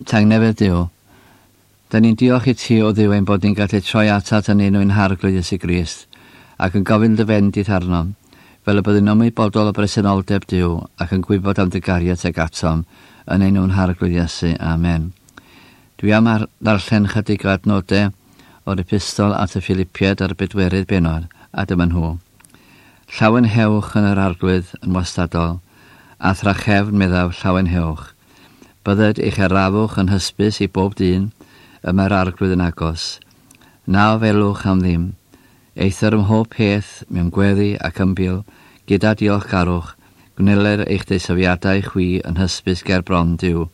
Tangnefedd Duw, da ni'n diolch i ti o Dduw ein bod ni'n gallu troi atat yn enw ein Harglwydd Iesu Grist, ac yn gofyn dy fendith arnom, fel y byddwn ymwybodol o bresenoldeb Duw ac yn gwybod am dy gariad tuag atom, yn enw'n Harglwydd Iesu. Amen. Dwi am ar ddarllen chydig o adnodau o'r epistol at y Philipiaid ar y bedwerydd bennod, a dyma nhw. Llawenhewch yn yr Arglwydd yn wastadol, a thrachefn meddaf llawenhewch. Bydded eich arafwch yn hysbys i bob dyn, y mae'r Arglwydd yn agos. Na ofelwch am ddim. Eithr ym mhob peth, mewn gweddi ac ymbil, gyda diolchgarwch, gwneler eich deisyfiadau chwi yn hysbys ger bron Duw.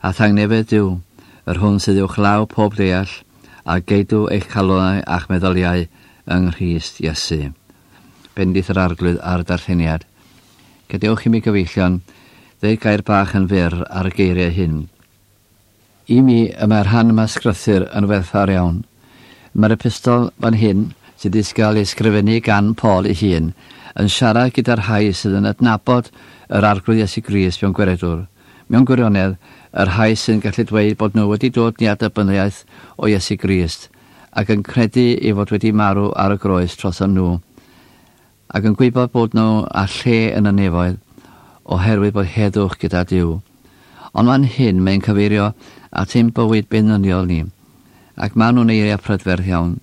A thangnefedd Duw, yr hwn sydd uwchlaw pob deall, a geidw eich calonau a'ch meddyliau yng Nghrist Iesu. Bendith yr Arglwydd ar y darlleniad. Gadewch i mi gyfeillion, ddeud gair bach yn fyr ar y geiriau hyn. I mi, y mae'r rhan yma sgrythur yn werthfawr iawn. Mae'r epistol fan hyn, sydd wedi gael ei ysgrifennu gan Paul ei hun, yn siarad gyda'r rhai sydd yn adnabod yr Arglwydd Iesu Grist mewn gweredwr. Mewn gwirionedd, y rhai sydd yn gallu dweud bod nhw wedi dod i adnabyddiaeth o Iesu Grist, ac yn credu ei fod wedi marw ar y groes troson nhw, ac yn gwybod bod nhw â lle yn y nefoedd, oherwydd bod heddwch gyda Duw. Ond fan hyn mae'n cyfeirio at ein bywyd beunyddiol ni, ac maen nhw'n eiriau prydferth iawn.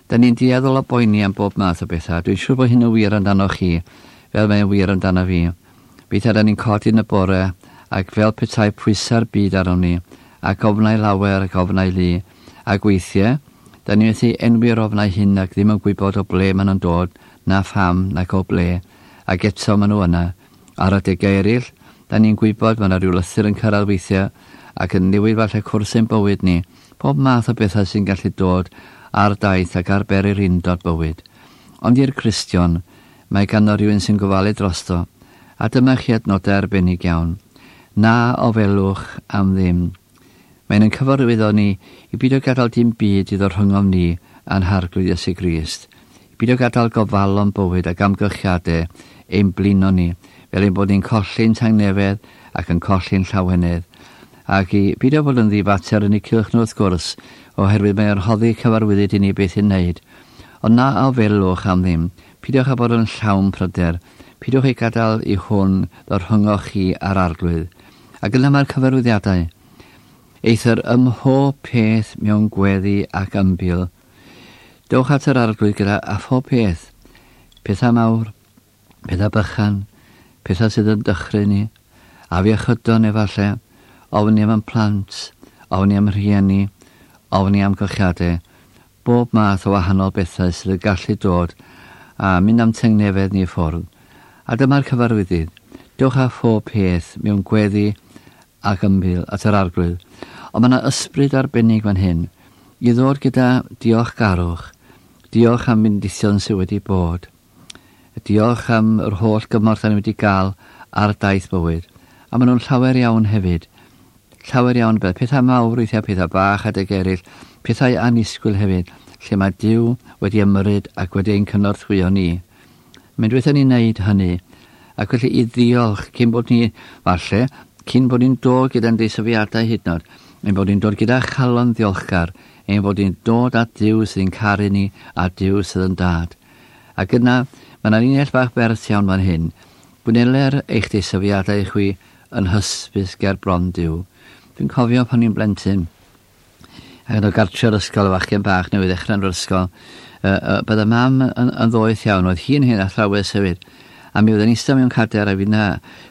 Da ni'n dueddol o boeni am bob math o bethau. Dwi'n siŵr bod hyn yn wir amdano chi, fel mae'n wir amdano fi. Weithiau da ni'n codi yn y bore, ac fel petai pwysau'r byd arnom ni, ac ofnau lawer ac ofnau lu, ac weithiau, da ni methu enwi'r ofnau hyn ac ddim yn gwybod o ble maen nhw'n dod, na pham, nac o ble, ac eto maen nhw yna. Ar adegau eraill, da ni'n gwybod mae yna rhyw lythyr yn cyrraedd weithiau ac yn newid falle cwrs ein bywyd ni, pob math o bethau sy'n gallu dod ar daith ac ar bererindod bywyd. Ond i'r Cristion, mae ganddo rhywun sy'n gofalu drosto, a dyma chi adnodau arbennig iawn. Na ofelwch am ddim. Mae'n ein cyfarwyddo ni i beidio gadael dim byd i ddod rhyngom ni a'n Harglwydd Iesu Grist, i beidio gadael gofalon bywyd ac amgylchiadau ein blino ni, fel ein bod ni'n colli'n tangnefedd ac yn colli'n llawenydd, ac i beidio bod yn ddifater yn eu cylch nhw wrth gwrs, oherwydd mae o'n rhoddi cyfarwyddyd i ni beth i'w wneud. Ond na ofelwch am ddim, peidiwch â bod yn llawn pryder, peidiwch ei gadael i hwn ddod rhyngoch chi a'r Arglwydd. Ac yna mae'r cyfarwyddiadau. Eithr ym mhob peth mewn gweddi ac ymbil, dewch at yr Arglwydd gyda a phob peth, pethau mawr, pethau bychan, pethau sydd yn dychryn ni, afiechydon efallai, ofni am ein plant, ofni am rhieni, ofni am gylchiadau, bob math o wahanol bethau sydd yn gallu dod a mynd am tangnefedd ni i ffwrdd. A dyma'r cyfarwyddyd, dewch â phob peth mewn gweddi ac ymbil at yr Arglwydd. Ond mae yna ysbryd arbennig fan hyn, i ddod gyda diolchgarwch, diolch am fendithion sydd wedi bod. Diolch am yr holl gymorth da ni wedi gael ar daith bywyd. A maen nhw'n llawer iawn hefyd. Llawer iawn beth. Pethau mawr weithiau, pethau bach adeg eraill, pethau annisgwyl hefyd, lle mae Duw wedi ymyrryd ac wedi ein cynorthwyo ni. Mae'n dweud ni'n neud hynny, ac felly i ddiolch cyn bod ni, falle, cyn bod ni'n dod gyda'n deisyfiadau hyd yn oed, ein bod ni'n dod gyda chalon ddiolchgar, ein bod ni'n dod at Dduw sydd yn caru ni a Duw sydd yn dad. Ac yna, mae yna linell bach bert iawn fan hyn. Gwneler eich deisyfiadau chwi yn hysbys ger bron Duw. Dwi'n cofio pan i'n blentyn, ac yn o gartre'r ysgol, y fachgen bach newydd ddechrau yn yr ysgol, bydde mam yn ddoeth iawn, oedd hi'n hen athrawes hefyd, a mi oedden eistedd mewn cadair a finna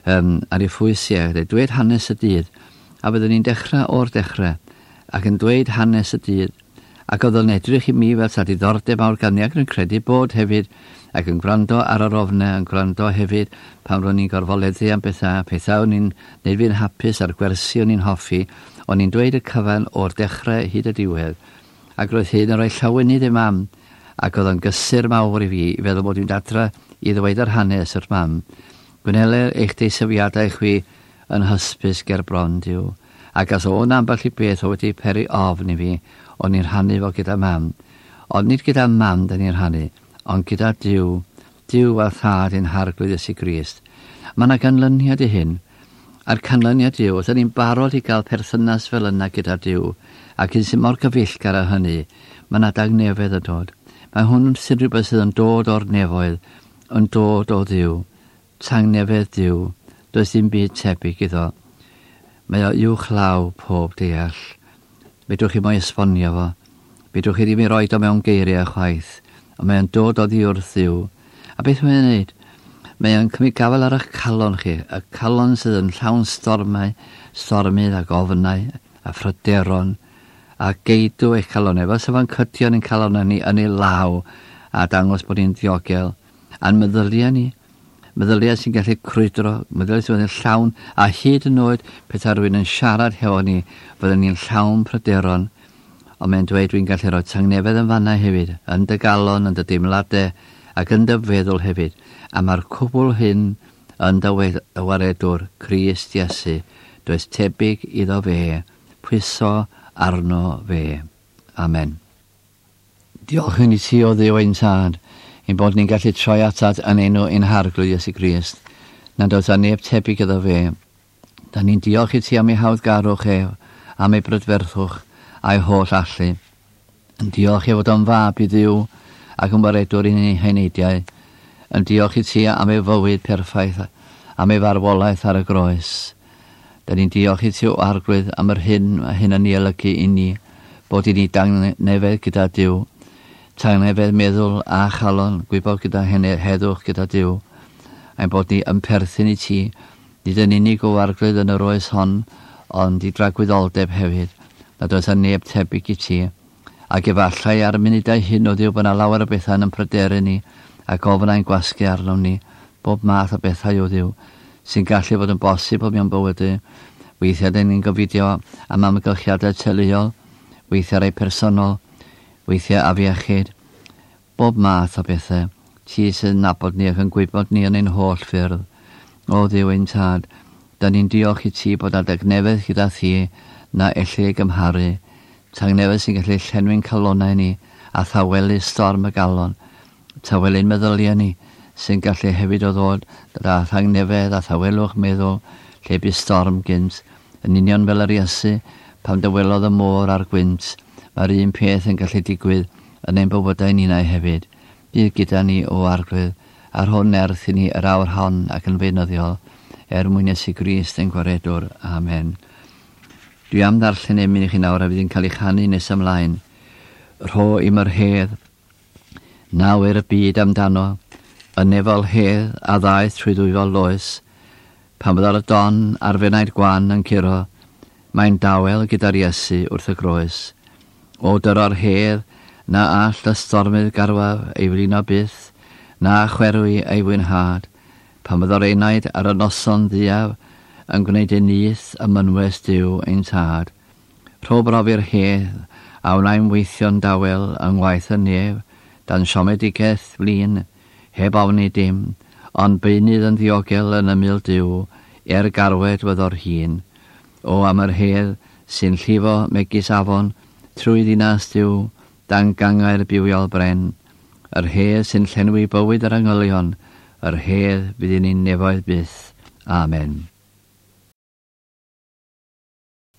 ar ei phwys i, a dweud hanes y dydd, a byddwn ni'n dechrau o'r dechrau, ac yn dweud hanes y dydd, ac oedd o'n edrych i mi fel sa diddordeb mawr ganddi, ac yn credu bod hefyd, ac yn gwrando ar yr ofnau, yn gwrando hefyd pan ro'n i'n gorfoleddu am bethau, pethau o'n i'n neud fi'n hapus a'r gwersi o'n i'n hoffi, o'n i'n dweud y cyfan o'r dechrau hyd y diwedd, ac roedd hyn yn rhoi llawenydd i mam, ac oedd o'n gysur mawr i fi i feddwl bod fi'n adra i ddweud yr hanes wrth mam. Gwneler eich deisyfiadau chwi yn hysbys ger bron Duw. Ac os o'n ambell i beth o wedi peri ofn i fi, o'n i'n rhannu fo gyda mam. Ond nid gyda mam da ni'n rhannu, ond gyda Duw, Duw a Thad ein Harglwydd Iesu Grist. Mae yna ganlyniad i hyn, A'r canlyniad yw, os ni'n barod i gael perthynas fel yna gyda Duw, ac un sy'n mor gyfeillgar â hynny, mae yna dangnefedd yn dod. Mae hwn sy'n rhywbeth sydd yn dod o'r nefoedd, yn dod o Dduw. Tangnefedd Duw, does dim byd tebyg iddo. Mae o uwchlaw pob deall. Fedrwch chi mo'i esbonio fo. Fedrwch chi ddim ei roid o mewn geiriau chwaith, ond mae o'n dod oddi wrth Dduw. A beth mae'n ei wneud? Mae o'n cymryd gafael ar eich calon chi, y calon sydd yn llawn stormau, stormydd ac ofnau a phryderon, a geidw eich calonau. Fel 'sa fo'n cydio yn ein calonau ni yn ei law a dangos bod ni'n ddiogel. A'n meddyliau ni, meddyliau sy'n gallu crwydro, meddyliau sy'n yn llawn, a hyd yn oed petai rhywun yn siarad hefo ni, fydden ni'n llawn pryderon. Ond mae'n dweud dwi'n gallu rhoi tangnefedd yn fanna hefyd, yn dy galon, yn dy deimladau, ac yn dy feddwl hefyd. A mae'r cwbl hyn yn dy waredwr, Crist Iesu. Does tebyg iddo fe, pwyso arno fe. Amen. Diolch i ti o Dduw ein Tad, ein bod ni'n gallu troi atat yn enw ein Harglwydd Iesu Grist, nad oes 'na neb tebyg iddo fe. Da ni'n diolch i ti am ei hawddgarwch ef, am ei brydferthwch a'i holl allu. Yn diolch ei fod o'n fab i Dduw ac yn waredwr i'n heneidiau. Yn diolch i ti am ei fywyd perffaith, am ei farwolaeth ar y groes. Da ni'n diolch i ti o Arglwydd am yr hyn mae hyn yn ei olygu i ni, bod i ni dangnefedd gyda Duw, tangnefedd meddwl a chalon, gwybod gyda heddwch gyda Duw, ein bod ni yn perthyn i ti, nid yn unig o Arglwydd yn yr oes hon, ond i dragwyddoldeb hefyd, nad oes 'na neb tebyg i ti. Ac efallai ar y munudau hyn o Dduw bod 'na lawer o bethau yn pryderu ni ac ofnau'n gwasgu arnom ni, bob math o bethau o Dduw, sy'n gallu fod yn bosibl mewn bywydau. Weithiau dyn ni'n gofidio am amgylchiadau teuluol, weithiau rai personol, weithiau afiechyd, bob math o bethau. Ti sydd yn nabod ni ac yn gwybod ni yn ein holl ffyrdd. O Dduw ein Tad, da ni'n diolch i ti bod 'na dangnefedd gyda thi na elli ei gymharu. Tangnefedd sy'n gallu llenwi'n calonnau ni a thawelu storm y galon. Tawelu'n meddyliau ni sy'n gallu hefyd o ddod â thangnefedd a thawelwch meddwl lle bu storm gynt. Yn union fel yr Iesu pan dywelodd y môr a'r gwynt, mae'r un peth yn gallu digwydd yn ein bywydau ninnau hefyd. Bydd gyda ni o Arglwydd, a rho nerth i ni yr awr hon ac yn feunyddiol, er mwyn Iesu Grist ein Gwaredwr. Amen. Dwi am ddarllen emyn i chi nawr a fydd yn cael ei chanu nes ymlaen. Rho im yr hedd, na ŵyr y byd amdano, y nefol hedd a ddaeth trwy ddwyfol loes, pan fyddo'r don a'r fenaid gwan yn curo, mae'n dawel gyda'r Iesu wrth y groes. O dyro'r hedd, na all y stormydd garwaf ei flino byth, na chwerwi ei fwynhad, pan fyddo'r enaid ar y noson dduaf yn gwneud ei nyth ym mynwes Duw ein Tad. Rho brofi'r hedd a wnai'm weithio'n dawel yng ngwaith y nef, dan siomedigaeth flin, heb ofni dim, ond beunydd yn ddiogel yn ymyl Duw, er garwed fyddo'r hun. O am yr hedd sy'n llifo megis afon trwy ddinas Duw, dan gangau'r bywiol bren, yr hedd sy'n llenwi bywyd yr angylion, yr hedd fydd i ni'n nefoedd byth. Amen.